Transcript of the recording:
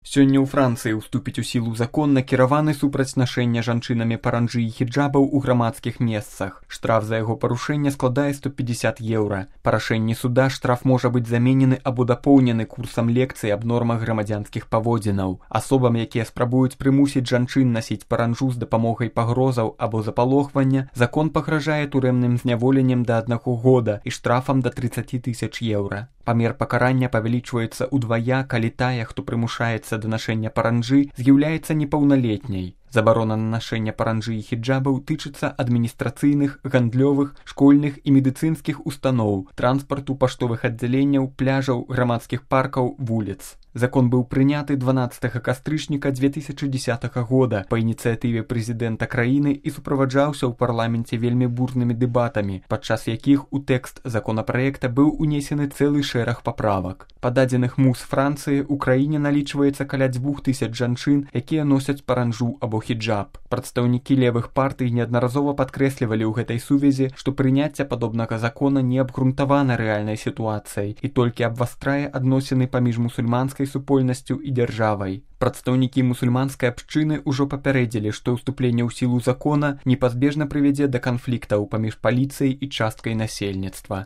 Сёння ў Францыі ўступіць у сілу закон, накіраваны супраць нашэння жанчынамі паранджы і хіджабаў у грамадскіх месцах. Штраф за яго парушэнне складае 150 еўра. Па рашэнні суда штраф можа быць заменены або дапоўнены курсам лекцый аб нормах грамадзянскіх паводзінаў. Асобам, якія спрабуюць прымусіць жанчын насіць паранджу з дапамогай пагрозаў або запалохвання, закон пагражае турэмным зняволеннем да 1 года і штрафам да 30 000 еўра. Памер пакарання павялічваецца ўдвая, калі тая, хто прымушаецца да нашэння паранджы, з'яўляецца непаўналетняй. Забарона на нашэнне паранджы і хіджабаў тычыцца адміністрацыйных, гандлёвых, школьных і медыцынскіх устаноў, транспарту, паштовых аддзяленняў, пляжаў, грамадскіх паркаў, вуліц. Закон быў прыняты 12 кастрычніка 2010 года па ініцыятыве прэзідэнта краіны і суправаджаўся ў парламенце вельмі бурнымі дэбатамі, падчас якіх у тэкст законапраекта быў унесены цэлы шэраг паправак. Па дадзеных МУЗ Францыі ў краіне налічваецца каля 2000 жанчын, якія носяць паранджу або хіджаб. Прадстаўнікі левых партый неаднаразова падкрэслівалі ў гэтай сувязі, што прыняцце падобнага закона не абгрунтавана рэальнай сітуацыяй і толькі абвастрае адносіны паміж мусульманскай супольнасцю і дзяржавай. Прадстаўнікі мусульманскай абшчыны ўжо папярэдзілі, што ўступленне ў сілу закона непазбежна прывядзе да канфліктаў паміж паліцыяй і часткай насельніцтва.